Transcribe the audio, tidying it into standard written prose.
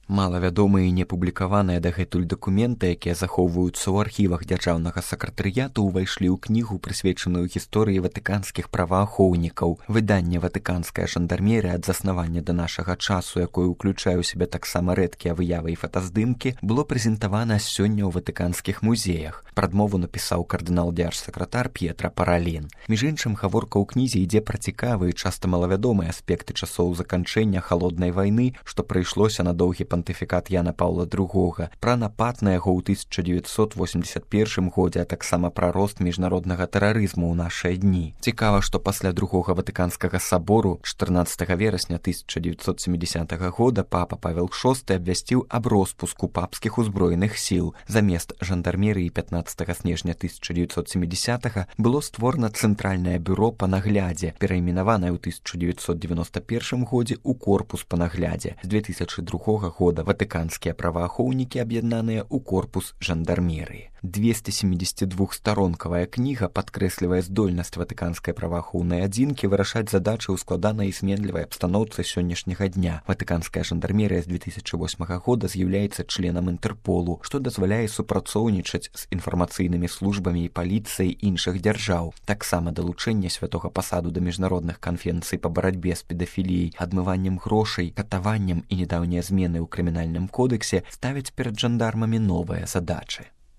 Малавядомыя і не публікаваныя дагэтуль дакументы, якія захоўваюцца ў архівах дзяржаўнага сакратарыяту, увайшлі ў кнігу, прысвечаную гісторыі ватыканскіх праваахоўнікаў. Выданне «Ватыканская жандармерыя» ад заснавання да нашага часу, якое ўключае ў сябе таксама рэдкія выявы і фотаздымкі, было прэзентавана сёння ў ватыканскіх музеях. Прадмову напісаў кардынал-дзярж-сакратар П'етра Паралін. Між іншым, гаворка ў кнізе ідзе пра цікавыя, часта малавядомыя аспекты часоў заканчэння халоднай вайны, што прыйшлося на доўгі пантыфікат Яна Паўла II, пра напад на яго ў 1981 годзе, а таксама пра рост міжнароднага тэрарызму ў нашыя дні. Цікава, што пасля другога ватыканскага сабору 14 верасня 1970 года папа Павел VI абвясціў аб роспуску папскіх узброеных сіл. Замест жандармерыі 15 снежня 1970 было створана Цэнтральнае бюро па наглядзе, перайменаванае ў 1991 годзе ў корпус па наглядзе. З 2002 года ватыканскія праваахоўнікі аб'яднаныя ў корпус жандармерыі. 272-старонкавая кніга падкрэслівае здольнасць ватыканскай праваахоўнай адзінкі вырашаць задачы ў складанай і зменлівай абстаноўцы сённяшняга дня. Ватыканская жандармерыя з 2008 года з'яўляецца членам Інтэрполу, што дазваляе супрацоўнічаць з інфармацыйнымі службамі і паліцыяй іншых дзяржаў. Таксама далучэнне святога пасаду да міжнародных канферэнцый па барацьбе з педафіліяй, адмываннем грошай, катаваннем і недаўнія змены ў крымінальным кодэксе ставяць перад жандармамі новыя задачы.